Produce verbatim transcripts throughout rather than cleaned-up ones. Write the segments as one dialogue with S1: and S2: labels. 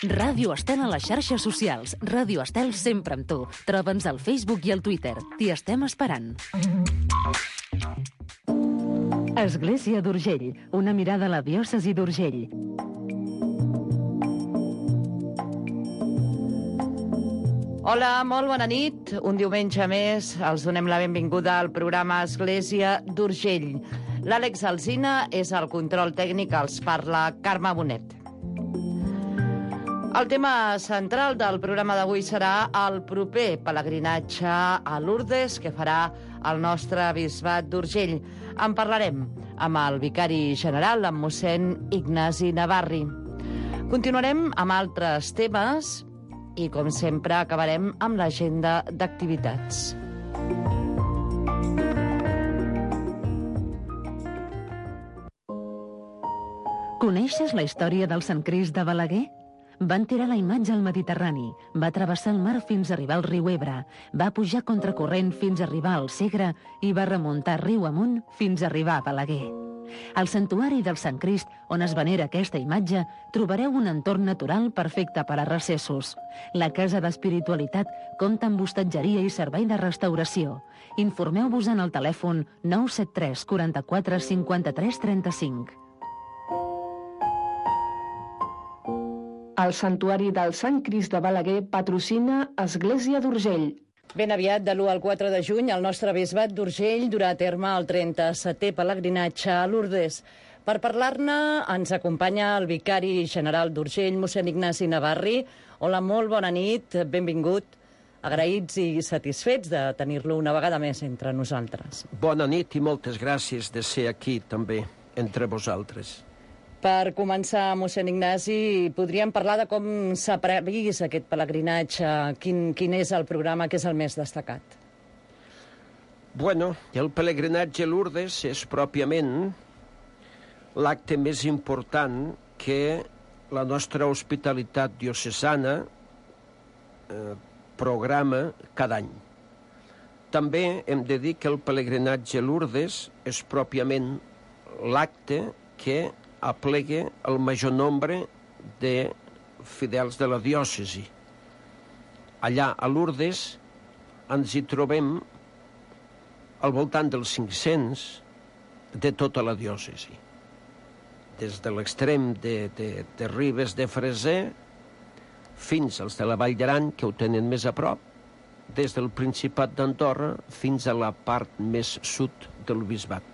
S1: Ràdio Estel a les xarxes socials. Ràdio Estel sempre amb tu. Troba'ns al Facebook i al Twitter. T'hi estem esperant. Església d'Urgell. Una mirada a la diòcesi d'Urgell.
S2: Hola, molt bona nit. Un diumenge més els donem la benvinguda al programa Església d'Urgell. L'Àlex Alsina és el control tècnic, els parla Carme Bonet. El tema central del programa d'avui serà el proper pelegrinatge a Lourdes que farà el nostre bisbat d'Urgell. En parlarem amb el vicari general, amb mossèn Ignasi Navarri. Continuarem amb altres temes i, com sempre, acabarem amb l'agenda d'activitats.
S1: Coneixes la història del Sant Crist de Balaguer? Van tirar la imatge al Mediterrani, va travessar el mar fins a arribar al riu Ebre, va pujar contracorrent fins a arribar al Segre i va remuntar riu amunt fins a arribar a Balaguer. Al santuari del Sant Crist, on es venera aquesta imatge, trobareu un entorn natural perfecte per a recessos. La Casa d'Espiritualitat compta amb hostatgeria i servei de restauració. Informeu-vos en el telèfon nou set tres quaranta-quatre cinquanta-tres trenta-cinc.
S3: El Santuari del Sant Crist de Balaguer patrocina Església d'Urgell.
S2: Ben aviat, de l'u al quatre de juny, el nostre bisbat d'Urgell durà a terme el trenta-setè pelegrinatge a Lourdes. Per parlar-ne ens acompanya el vicari general d'Urgell, mossèn Ignasi Navarri. Hola, molt bona nit, benvingut. Agraïts i satisfets de tenir-lo una vegada més entre nosaltres.
S4: Bona nit i moltes gràcies de ser aquí també, entre vosaltres.
S2: Per començar, mossèn Ignasi, podríem parlar de com s'ha previst aquest pelegrinatge, quin, quin és el programa que és el més destacat?
S4: Bueno, el pelegrinatge a Lourdes és pròpiament l'acte més important que la nostra hospitalitat diocesana eh, programa cada any. També hem de dir que el pelegrinatge a Lourdes és pròpiament l'acte que aplega el major nombre de fidels de la diòcesi. Allà a Lourdes ens hi trobem al voltant dels cinc-cents de tota la diòcesi. Des de l'extrem de, de, de Ribes de Freser fins als de la Vall d'Aran, que ho tenen més a prop, des del Principat d'Andorra fins a la part més sud del bisbat.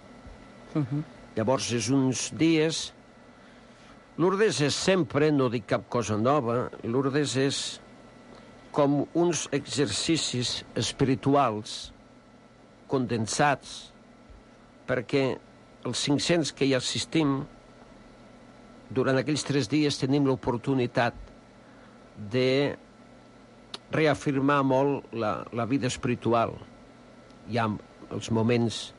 S4: Uh-huh. Llavors, és uns dies... Lourdes és sempre, no dic cap cosa nova, Lourdes és com uns exercicis espirituals condensats, perquè els cinc-cents que hi assistim, durant aquells tres dies tenim l'oportunitat de reafirmar molt la, la vida espiritual. Hi ha els moments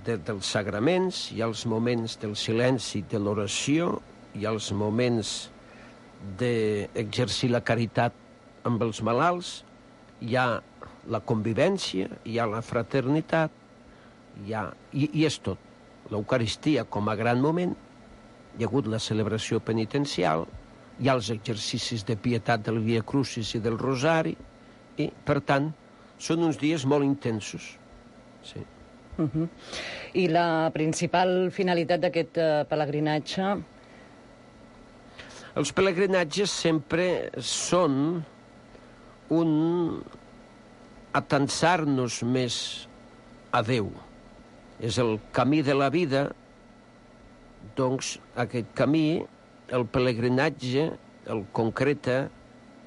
S4: de, dels sagraments, hi ha els moments del silenci, de l'oració, hi ha els moments d'exercir la caritat amb els malalts, hi ha la convivència, hi ha la fraternitat, hi ha, i, i és tot. L'Eucaristia com a gran moment, hi ha hagut la celebració penitencial, hi ha els exercicis de pietat del Via Crucis i del Rosari, i, per tant, són uns dies molt intensos. Sí.
S2: Uh-huh. I la principal finalitat d'aquest uh, pelegrinatge?
S4: Els pelegrinatges sempre són un atansar-nos més a Déu. És el camí de la vida, doncs aquest camí, el pelegrinatge, el concreta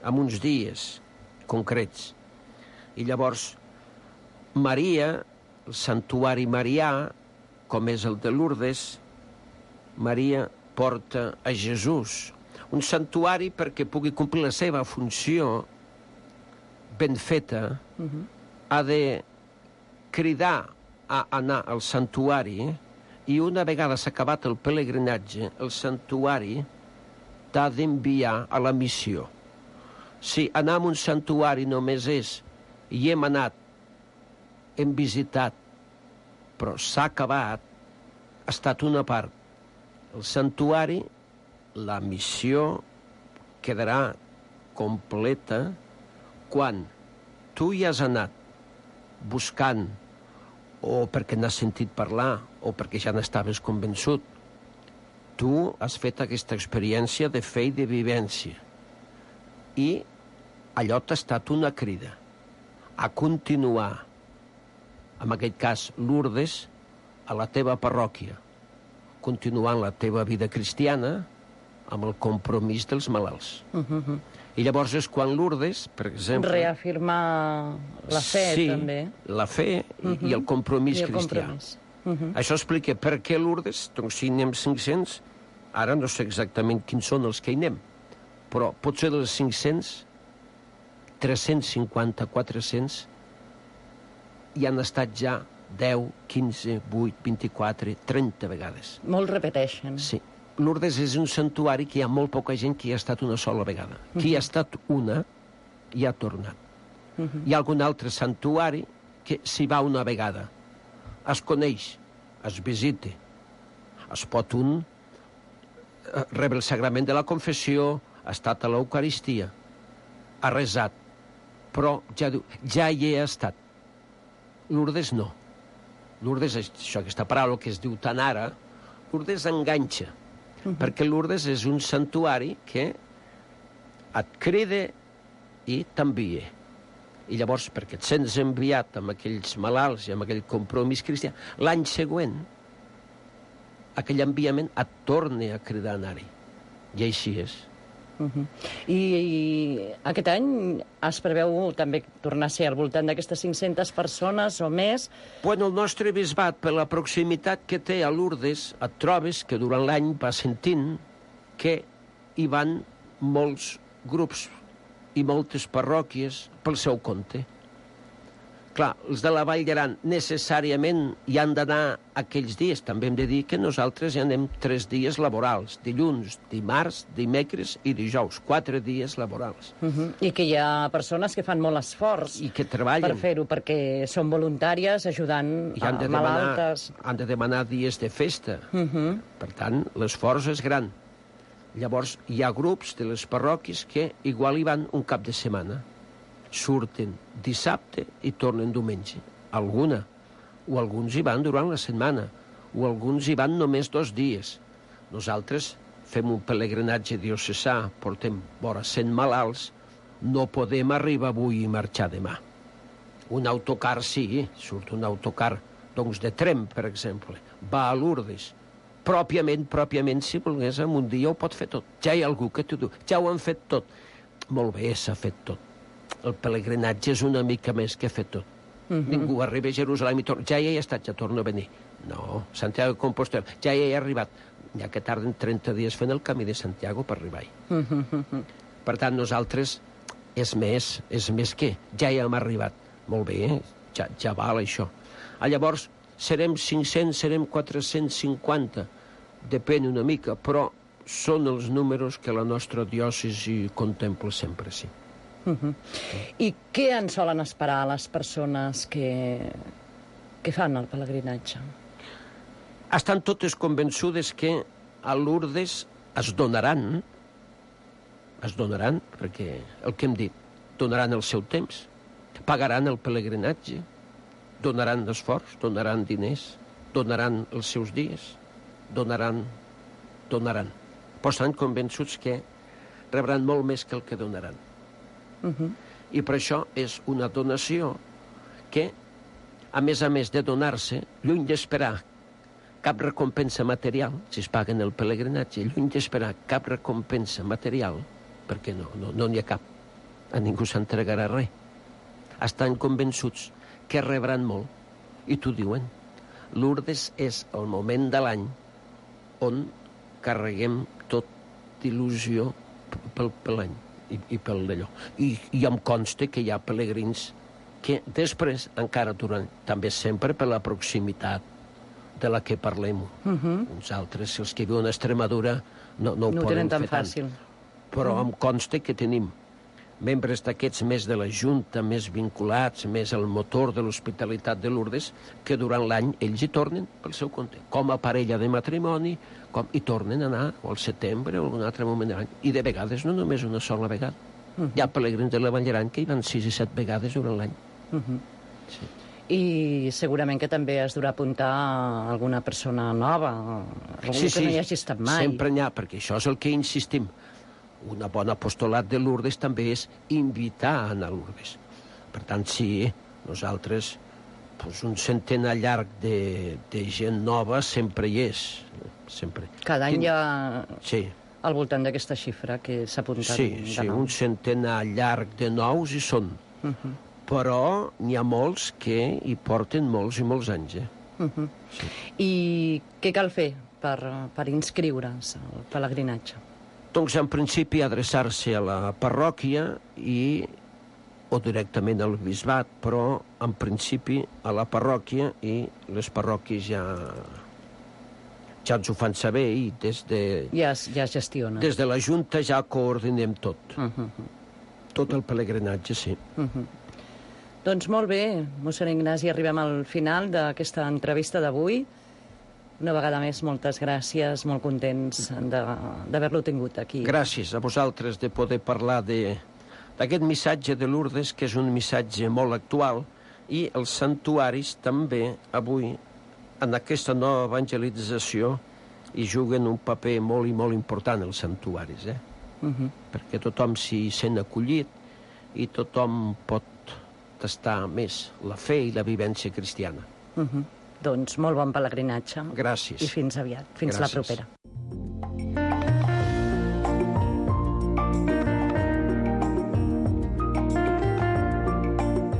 S4: en uns dies concrets. I llavors, Maria, el santuari marià, com és el de Lourdes, Maria porta a Jesús. Un santuari perquè pugui complir la seva funció ben feta, uh-huh. ha de cridar a anar al santuari i una vegada s'ha acabat el pelegrinatge, el santuari t'ha d'enviar a la missió. Si anar a un santuari només és i hem anat, hem visitat, però s'ha acabat, ha estat una part. El santuari, la missió, quedarà completa quan tu hi has anat buscant, o perquè n'has sentit parlar, o perquè ja n'estaves convençut. Tu has fet aquesta experiència de fe i de vivència. I allò t'ha estat una crida a continuar, en aquest cas Lourdes, a la teva parròquia, continuant la teva vida cristiana amb el compromís dels malalts. Uh-huh. I llavors és quan Lourdes, per exemple...
S2: Reafirmar la fe,
S4: sí,
S2: també.
S4: Sí, la fe uh-huh. i el compromís I el cristià. Compromís. Uh-huh. Això explica per què Lourdes, doncs si anem cinc-cents, ara no sé exactament quins són els que hi anem, però potser dels cinc-cents, tres-cents cinquanta, quatre-cents, hi han estat ja deu, quinze, vuit, vint-i-quatre, trenta vegades.
S2: Molt repeteixen.
S4: Sí. Lourdes és un santuari que hi ha molt poca gent que hi ha estat una sola vegada. Uh-huh. Qui hi ha estat una, hi ha tornat. Uh-huh. Hi ha algun altre santuari que s'hi va una vegada. Es coneix, es visita, es pot un rebre el sagrament de la confessió, ha estat a l'Eucaristia, ha resat, però ja diu, ja hi he estat. Lourdes no. Lourdes, això, aquesta paraula que es diu tant ara, Lourdes enganxa, uh-huh. perquè Lourdes és un santuari que et crida i t'envia. I llavors, perquè et sents enviat amb aquells malalts i amb aquell compromís cristià, l'any següent, aquell enviament et torna a cridar a anar-hi. I així és.
S2: Uh-huh. I, I aquest any es preveu també tornar a ser al voltant d'aquestes cinc-centes persones o més?
S4: Bueno, el nostre bisbat, per la proximitat que té a Lourdes, et trobes que durant l'any va sentint que hi van molts grups i moltes parròquies pel seu compte. Clar, els de la Vall d'Aran necessàriament hi han d'anar aquells dies. També hem de dir que nosaltres hi anem tres dies laborals, dilluns, dimarts, dimecres i dijous, quatre dies laborals.
S2: Uh-huh. I que hi ha persones que fan molt esforç
S4: I que treballen
S2: per fer-ho, perquè són voluntàries ajudant a
S4: de
S2: malaltes.
S4: Demanar, han de demanar dies de festa.
S2: Uh-huh.
S4: Per tant, l'esforç és gran. Llavors, hi ha grups de les parròquies que igual hi van un cap de setmana. Surten dissabte i tornen diumenge. Alguna. O alguns hi van durant la setmana. O alguns hi van només dos dies. Nosaltres fem un pelegrinatge diocesà, portem vora cent malalts, no podem arribar avui i marxar demà. Un autocar sí, surt un autocar, doncs de Tremp, per exemple, va a Lourdes. Pròpiament, pròpiament, si volgués, en un dia ho pot fer tot. Ja hi ha algú que t'ho diu, ja ho han fet tot. Molt bé, s'ha fet tot. El pelegrinatge és una mica més que fer tot. Uh-huh. Ningú arriba a Jerusalem i torna. Ja hi he estat, ja torno a venir. No, Santiago de Compostela, ja hi he arribat. Ja que tarden trenta dies fent el camí de Santiago per arribar-hi. Uh-huh. Per tant, nosaltres és més, és més que ja hi hem arribat. Molt bé, ja, ja val això. Ah, llavors, serem cinc-cents, serem quatre-cents cinquanta, depèn una mica, però són els números que la nostra diòcesi contempla sempre, sí.
S2: Uh-huh. I què en solen esperar les persones que, que fan el pelegrinatge?
S4: Estan totes convençudes que a Lourdes es donaran, es donaran, perquè el que hem dit, donaran el seu temps, pagaran el pelegrinatge, donaran esforç, donaran diners, donaran els seus dies, donaran, donaran. Però estan convençuts que rebran molt més que el que donaran. Uh-huh. I per això és una donació que, a més a més de donar-se, lluny d'esperar cap recompensa material, si es paguen el pelegrinatge, lluny d'esperar cap recompensa material, perquè no, no, no n'hi ha cap, a ningú s'entregarà res. Estan convençuts que rebran molt, i t'ho diuen. Lourdes és el moment de l'any on carreguem tot d'il·lusió pel, pel any. I, i pel d'allò. I, I em consta que hi ha pelegrins que després, encara durant, també sempre per la proximitat de la que parlem. Uh-huh. Uns altres, els que viuen a Extremadura, no, no ho
S2: no
S4: poden
S2: tan
S4: fer
S2: fàcil.
S4: tant. Però uh-huh. em consta que tenim membres d'aquests més de la Junta, més vinculats, més al motor de l'Hospitalitat de Lourdes, que durant l'any ells hi tornen pel seu compte, com a parella de matrimoni, com hi tornen a anar o al setembre o en un altre moment de l'any. I de vegades no només una sola vegada. Uh -huh. Hi ha pelegrins de la Vall d'Aran que hi van sis i set vegades durant l'any. Uh -huh.
S2: Sí. I segurament que també es durà apuntar alguna persona nova, algú
S4: sí,
S2: que
S4: sí,
S2: no hi hagi estat mai.
S4: Sempre n'hi ha, perquè això és el que insistim. Una bona apostolat de Lourdes també és invitar a anar a Lourdes. Per tant, sí, nosaltres, doncs un centenar llarg de, de gent nova sempre hi és. Sempre.
S2: Cada any
S4: Quin...
S2: hi ha
S4: sí.
S2: al voltant d'aquesta xifra que s'ha apuntat.
S4: Sí, sí, un centenar llarg de nous hi són. Uh -huh. Però n'hi ha molts que hi porten molts i molts anys. Eh?
S2: Uh -huh. Sí. I què cal fer per, per inscriure's al pelegrinatge?
S4: Doncs, en principi, adreçar-se a la parròquia i, o directament al bisbat, però, en principi, a la parròquia, i les parròquies ja, ja ens ho fan saber i des de...
S2: Ja, ja es gestiona.
S4: Des de la Junta ja coordinem tot.
S2: Uh -huh.
S4: Tot el pelegrinatge, sí.
S2: Uh -huh. Doncs molt bé, mossèn Ignasi, arribem al final d'aquesta entrevista d'avui. Una vegada més, moltes gràcies, molt contents d'haver-lo tingut aquí.
S4: Gràcies a vosaltres de poder parlar d'aquest missatge de Lourdes, que és un missatge molt actual, i els santuaris també, avui, en aquesta nova evangelització, hi juguen un paper molt i molt important, els santuaris, eh? Uh -huh. Perquè tothom s'hi sent acollit i tothom pot tastar més la fe i la vivència cristiana.
S2: Uh -huh. Doncs molt bon pelegrinatge.
S4: Gràcies.
S2: I fins aviat. Fins
S4: Gràcies.
S2: la propera.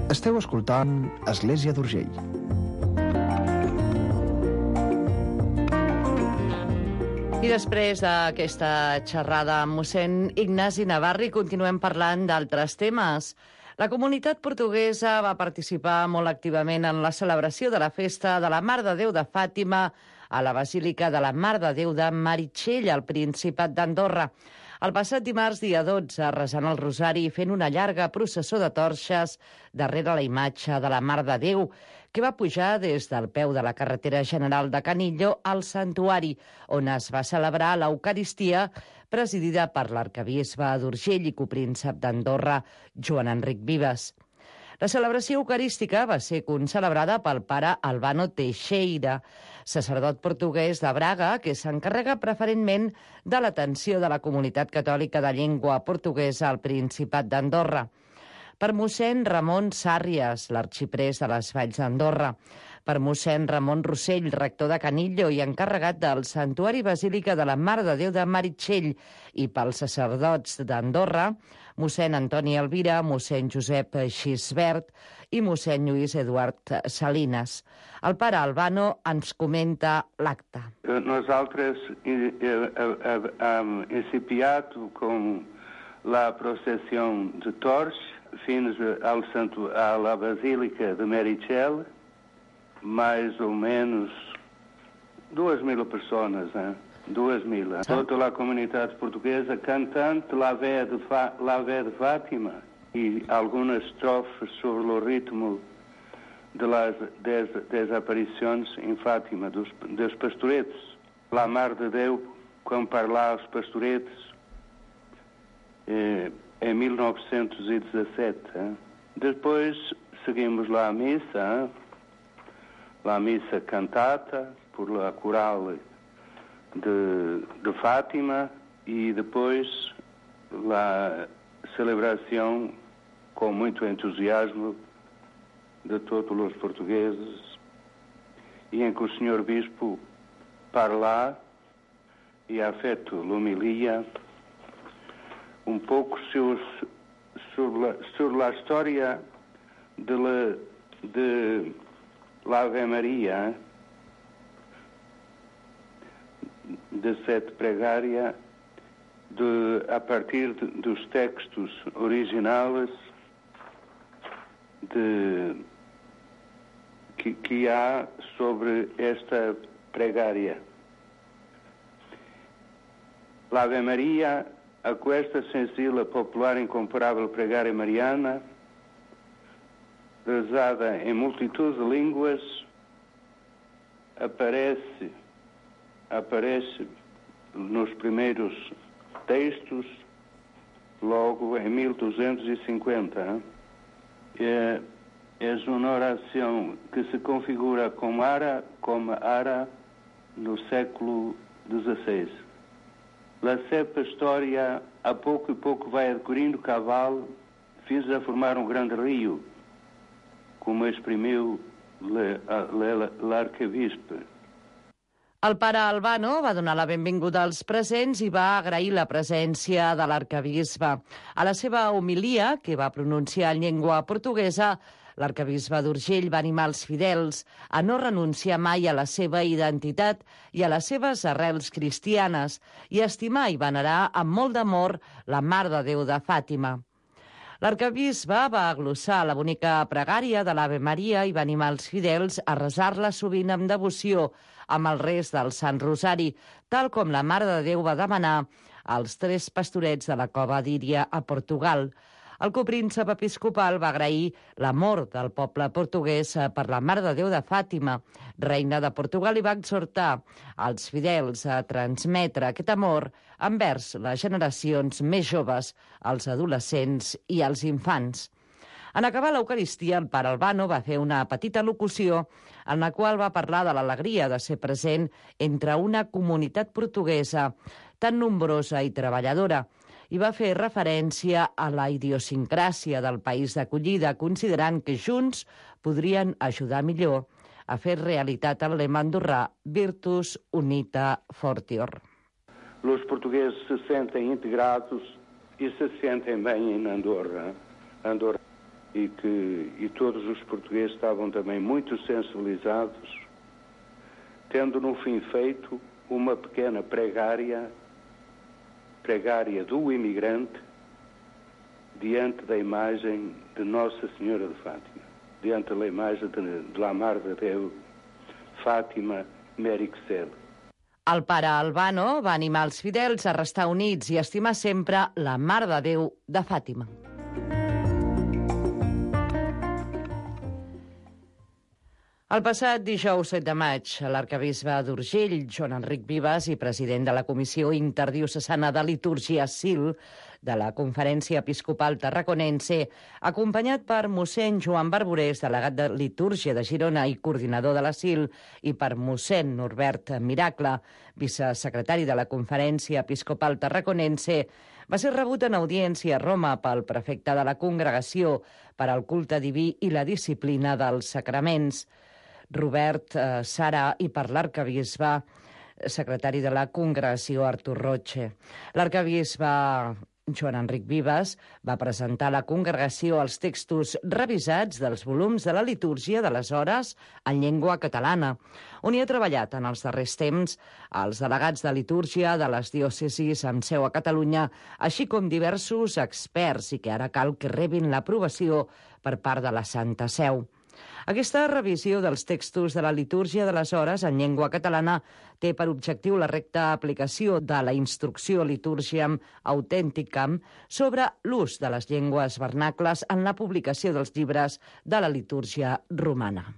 S5: Esteu escoltant Església d'Urgell.
S2: I després d'aquesta xerrada amb mossèn Ignasi Navarri continuem parlant d'altres temes. La comunitat portuguesa va participar molt activament en la celebració de la festa de la Mare de Déu de Fàtima a la Basílica de la Mare de Déu de Meritxell, al Principat d'Andorra. El passat dimarts, dia dotze, resant el rosari i fent una llarga processó de torxes darrere la imatge de la Mare de Déu, que va pujar des del peu de la carretera general de Canillo al santuari, on es va celebrar l'Eucaristia, presidida per l'arcabisbe d'Urgell i copríncep d'Andorra, Joan Enric Vives. La celebració eucarística va ser concelebrada pel pare Albano Teixeira, sacerdot portuguès de Braga, que s'encarrega preferentment de l'atenció de la comunitat catòlica de llengua portuguesa al Principat d'Andorra. Per mossèn Ramon Sàrries, l'arxiprés de les Valls d'Andorra, per mossèn Ramon Rossell, rector de Canillo i encarregat del Santuari Basílica de la Mare de Déu de Meritxell, i pels sacerdots d'Andorra, mossèn Antoni Elvira, mossèn Josep Xisbert i mossèn Lluís Eduard Salinas. El pare Albano ens comenta l'acte.
S6: Nosaltres hem incipiat com la processó de torx fins al santu a la Basílica de Meritxell, mais ou menos duas mil pessoas, eh? duas mil. Eh? Toda a comunidade portuguesa cantando La Vé de, Fa La Vé de Fátima e algumas estrofes sobre o ritmo de las des desaparições em Fátima, dos, dos pastoretes. La Mare de Déu, quando parla aos pastoretes, eh, em mil novecentos e dezassete. Eh? Depois seguimos lá a missa, eh? lá a missa cantata por la coral de, de Fátima e depois a celebração com muito entusiasmo de todos os portugueses e em que o senhor Bispo parla e ha feito l'homilia um pouco sobre, sobre, a, sobre a história de, la, de la Ave Maria, de sete pregária, de, a partir de, dos textos originais de, que, que há sobre esta pregária. La Ave Maria a questa sensível, popular, incomparável pregária mariana, rezada em multitud de línguas, aparece, aparece nos primeiros textos, logo em mil duzentos e cinquenta. É, é uma oração que se configura como ara, como ara no século dezesseis. La cepa história, a pouco e pouco vai adquirindo cavalo, fins a formar um grande rio, como exprimiu l'arquebisbe.
S2: El pare Albano va donar la benvinguda als presents i va agrair la presència de l'arquebisbe. A la seva homilia, que va pronunciar en llengua portuguesa, l'arquebisbe d'Urgell va animar els fidels a no renunciar mai a la seva identitat i a les seves arrels cristianes i a estimar i venerar amb molt d'amor la Mare de Déu de Fàtima. L'arquebisbe va glossar la bonica pregària de l'Ave Maria i va animar els fidels a resar-la sovint amb devoció amb el rest del Sant Rosari, tal com la Mare de Déu va demanar als tres pastorets de la cova d'Íria a Portugal. El copríncep episcopal va agrair l'amor del poble portuguès per la Mare de Déu de Fàtima, reina de Portugal, i va exhortar als fidels a transmetre aquest amor envers les generacions més joves, els adolescents i els infants. En acabar l'Eucaristia, el pare Albano va fer una petita locució en la qual va parlar de l'alegria de ser present entre una comunitat portuguesa tan nombrosa i treballadora, i va fer referència a la idiosincràsia del país d'acollida, considerant que junts podrien ajudar millor a fer realitat el lema andorrà Virtus Unita Fortior.
S6: Os portugueses se sentem integrados e se sentem bem em Andorra. Andorra. E que e todos os portugueses estavam também muito sensibilizados, tendo no fim feito uma pequena pregária pregária do imigrante diante da imagem de Nossa Senhora de Fátima, diante da imagem de, de la Mare de Déu, Fàtima Merixel.
S2: El pare Albano va animar els fidels a restar units i a estimar sempre la Mare de Déu de Fàtima. El passat dijous set de maig, l'arquebisbe d'Urgell, Joan Enric Vives, i president de la Comissió Interdiocesana de Litúrgia S I L de la Conferència Episcopal Tarraconense, acompanyat per mossèn Joan Barborés, delegat de Litúrgia de Girona i coordinador de la S I L, i per mossèn Norbert Miracle, vicesecretari de la Conferència Episcopal Tarraconense, va ser rebut en audiència a Roma pel prefecte de la Congregació per al culte diví i la disciplina dels sacraments, Robert eh, Sara, i per l'arquebisbe, secretari de la Congregació Artur Roche. L'arquebisbe Joan Enric Vives va presentar a la congregació els textos revisats dels volums de la litúrgia de les hores en llengua catalana, on hi ha treballat en els darrers temps els delegats de litúrgia de les diòcesis amb seu a Catalunya, així com diversos experts, i que ara cal que rebin l'aprovació per part de la Santa Seu. Aquesta revisió dels textos de la litúrgia de les hores en llengua catalana té per objectiu la recta aplicació de la instrucció Liturgiam Authenticam sobre l'ús de les llengües vernacles en la publicació dels llibres de la litúrgia romana.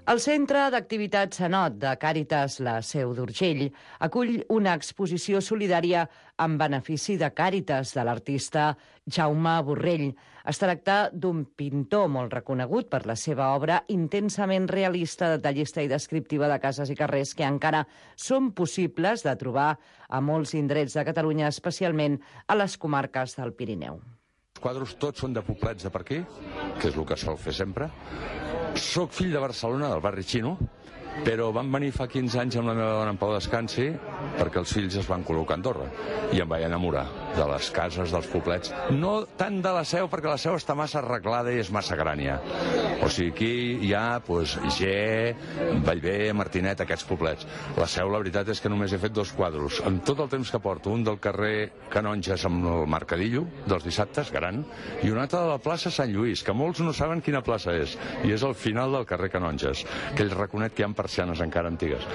S2: El Centre d'Activitats Sanot de Càritas La Seu d'Urgell acull una exposició solidària en benefici de Càritas de l'artista Jaume Borrell. Es tracta d'un pintor molt reconegut per la seva obra intensament realista, detallista i descriptiva de cases i carrers que encara són possibles de trobar a molts indrets de Catalunya, especialment a les comarques del Pirineu.
S7: Els quadres tots són de poblets de per aquí, que és el que sol fer sempre. Soc fill de Barcelona, del barri xino, però vam venir fa quinze anys amb la meva dona en pau descansi perquè els fills es van col·locar a Andorra i em vaig enamorar de les cases, dels poblets. No tant de la Seu, perquè la Seu està massa arreglada i és massa grània. O sigui, aquí hi ha pues, G, Vallvé, Martinet, aquests poblets. La Seu, la veritat és que només he fet dos quadros. En tot el temps que porto, un del carrer Canonges amb el Mercadillo, dels dissabtes, gran, i un altre de la plaça Sant Lluís, que molts no saben quina plaça és, i és al final del carrer Canonges. Aquell raconet que hi ha per persianes encara antigues.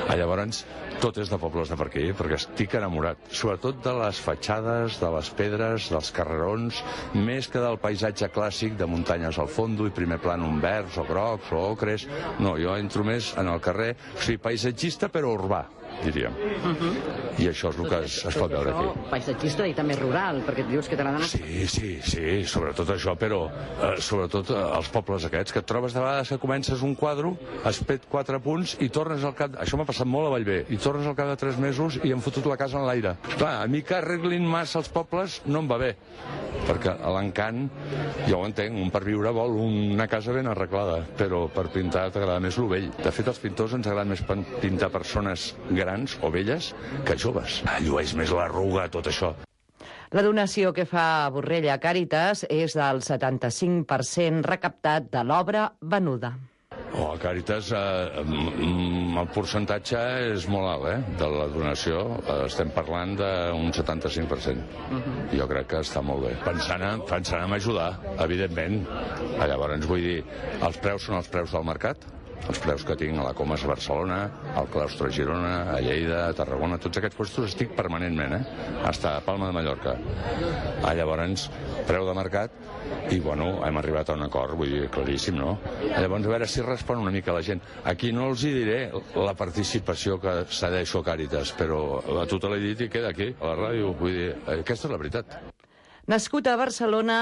S7: Ah, llavors, tot és de pobles de per aquí, perquè estic enamorat, sobretot de les fatxades, de les pedres, dels carrerons, més que del paisatge clàssic de muntanyes al fondo i primer plànol verds o grocs o ocres. No, jo entro més en el carrer, o sigui, paisatgista però urbà, diríem. Uh-huh. I això és el que es, es pot veure aquí.
S2: Paisatgista i també rural, perquè et dius que t'agraden...
S7: Sí, sí, sí, sobretot això, però eh, sobretot eh, els pobles aquests, que et trobes de vegades que comences un quadre, has fet quatre punts i tornes al cap... Això m'ha passat molt a Vallvé, i tornes al cap de tres mesos i hem fotut la casa en l'aire. Clar, a mi que arreglin massa els pobles no em va bé, perquè a l'encant, jo ho entenc, un per viure vol una casa ben arreglada, però per pintar t'agrada més lo vell. De fet, als pintors ens agrada més pintar persones grans o velles que joves. Llueix més l'arruga, tot això.
S2: La donació que fa Borrell a Càritas és del setanta-cinc per cent recaptat de l'obra venuda.
S7: Oh, a Càritas eh, el percentatge és molt alt, eh, de la donació. Eh, estem parlant d'un setanta-cinc per cent. Uh-huh. Jo crec que està molt bé. Pensant en, pensant en ajudar, evidentment. Llavors, vull dir, els preus són els preus del mercat. Els preus que tinc a la Comas a Barcelona, al Claustre a Girona, a Lleida, a Tarragona, tots aquests puestos estic permanentment, eh? Hasta a Palma de Mallorca. Ah, llavors, preu de mercat, i bueno, hem arribat a un acord, vull dir, claríssim, no? Llavors, a veure si respon una mica la gent. Aquí no els hi diré la participació que cedeixo a Càritas, però a tu te l'he dit i queda aquí, a la ràdio. Vull dir, aquesta és la veritat.
S2: Nascut a Barcelona,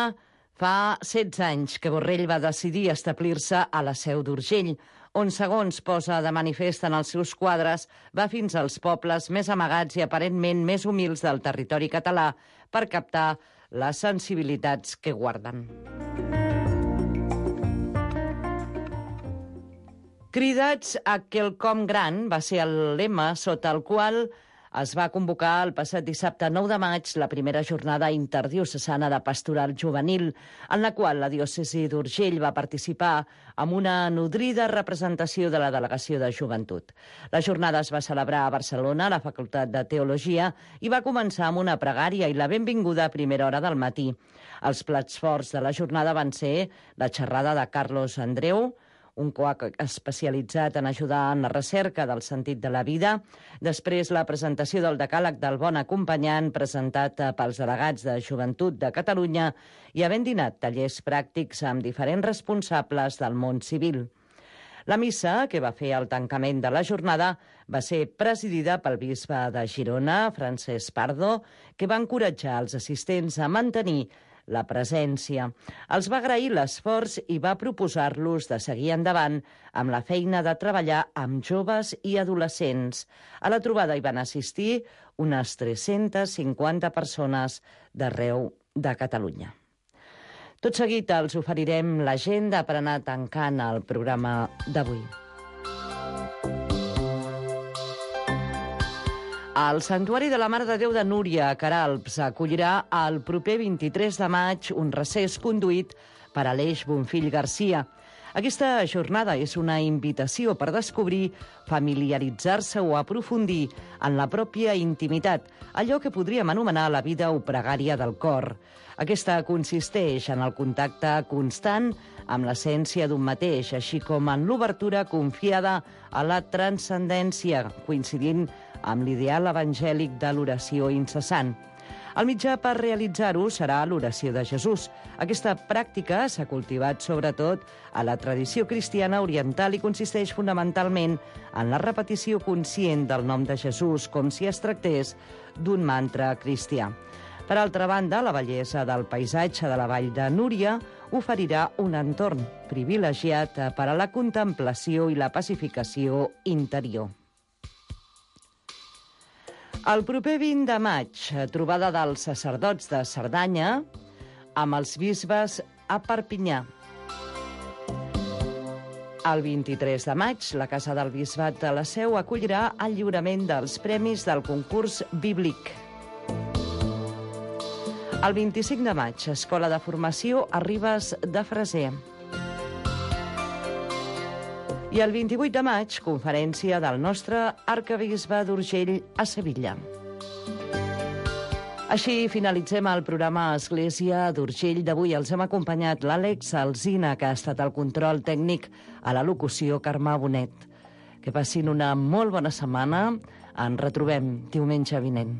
S2: fa setze anys que Borrell va decidir establir-se a la Seu d'Urgell, on, segons posa de manifest en els seus quadres, va fins als pobles més amagats i aparentment més humils del territori català per captar les sensibilitats que guarden. Cridats a quelcom gran va ser el lema sota el qual es va convocar el passat dissabte nou de maig la primera jornada interdiocesana de pastoral juvenil, en la qual la diòcesi d'Urgell va participar amb una nodrida representació de la Delegació de Joventut. La jornada es va celebrar a Barcelona, a la Facultat de Teologia, i va començar amb una pregària i la benvinguda a primera hora del matí. Els plats forts de la jornada van ser la xerrada de Carlos Andreu, un coac especialitzat en ajudar en la recerca del sentit de la vida. Després, la presentació del decàleg del bon acompanyant presentat pels delegats de Joventut de Catalunya i havent dinat tallers pràctics amb diferents responsables del món civil. La missa, que va fer el tancament de la jornada, va ser presidida pel bisbe de Girona, Francesc Pardo, que va encoratjar els assistents a mantenir la presència. Els va agrair l'esforç i va proposar-los de seguir endavant amb la feina de treballar amb joves i adolescents. A la trobada hi van assistir unes tres-centes cinquanta persones d'arreu de Catalunya. Tot seguit els oferirem l'agenda per anar tancant el programa d'avui. El Santuari de la Mare de Déu de Núria, a Queralbs, acollirà el proper vint-i-tres de maig un recés conduït per Aleix Bonfill Garcia. Aquesta jornada és una invitació per descobrir, familiaritzar-se o aprofundir en la pròpia intimitat, allò que podríem anomenar la vida o pregària del cor. Aquesta consisteix en el contacte constant amb l'essència d'un mateix, així com en l'obertura confiada a la transcendència, coincidint amb l'ideal evangèlic de l'oració incessant. El mitjà per realitzar-ho serà l'oració de Jesús. Aquesta pràctica s'ha cultivat sobretot a la tradició cristiana oriental i consisteix fonamentalment en la repetició conscient del nom de Jesús, com si es tractés d'un mantra cristià. Per altra banda, la bellesa del paisatge de la vall de Núria oferirà un entorn privilegiat per a la contemplació i la pacificació interior. El proper vint de maig, trobada dels sacerdots de Cerdanya amb els bisbes a Perpinyà. El vint-i-tres de maig, la Casa del Bisbat de la Seu acollirà el lliurament dels premis del concurs bíblic. El vint-i-cinc de maig, Escola de Formació a Ribes de Freser. I el vint-i-vuit de maig, conferència del nostre arquebisbe d'Urgell a Sevilla. Així finalitzem el programa Església d'Urgell d'avui. Els hem acompanyat l'Àlex Alsina, que ha estat el control tècnic, a la locució Carme Bonet. Que passin una molt bona setmana. Ens retrobem diumenge vinent.